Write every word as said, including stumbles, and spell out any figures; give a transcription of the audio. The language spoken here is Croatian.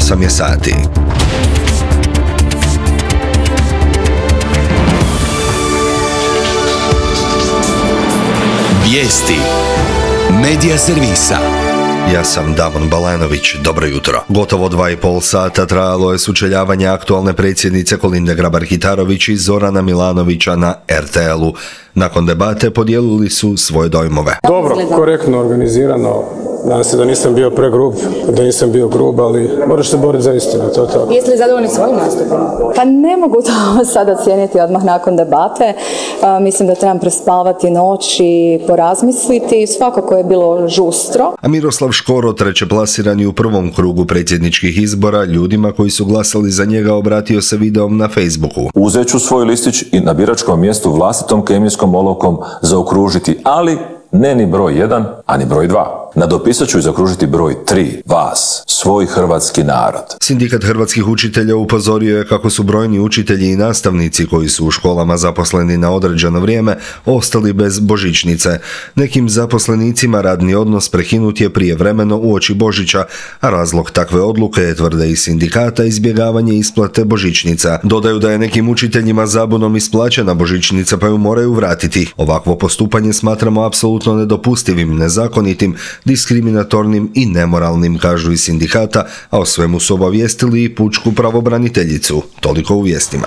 osam je sati. Vijesti Medija servisa. Ja sam Damon Balanović, dobro jutro. Gotovo dva i pol sata trajalo je sučeljavanje aktualne predsjednice Kolinde Grabar-Kitarović i Zorana Milanovića na er te el-u. Nakon debate podijelili su svoje dojmove. Dobro, korektno organizirano. Nadam se da nisam bio pregrub, da nisam bio grub, ali moraš se boriti za istinu, to je to. Jeste li zadovoljni svojim nastupom? Pa ne mogu to sada ocijeniti odmah nakon debate. A, mislim da trebam prespavati noć i porazmisliti. Svakako je bilo žustro. A Miroslav Škoro, treće plasirani u prvom krugu predsjedničkih izbora, ljudima koji su glasali za njega obratio se videom na Facebooku. Uzet ću svoj listić i na biračkom mjestu vlastitom kemijskom olovkom zaokružiti, ali ne ni broj jedan, a ni broj dva. Nadopisat ću i zaokružiti broj tri, vas, svoj hrvatski narod. Sindikat hrvatskih učitelja upozorio je kako su brojni učitelji i nastavnici koji su u školama zaposleni na određeno vrijeme ostali bez božićnice. Nekim zaposlenicima radni odnos prekinut je prijevremeno uoči Božića, a razlog takve odluke je, tvrde iz sindikata, izbjegavanje isplate božićnica. Dodaju da je nekim učiteljima zabunom isplaćena božićnica pa ju moraju vratiti. Ovakvo postupanje smatramo apsolutno nedopustivim, nezakonitim, diskriminatornim i nemoralnim, kažu iz sindikata, a o svemu su obavijestili i pučku pravobraniteljicu. Toliko u vijestima.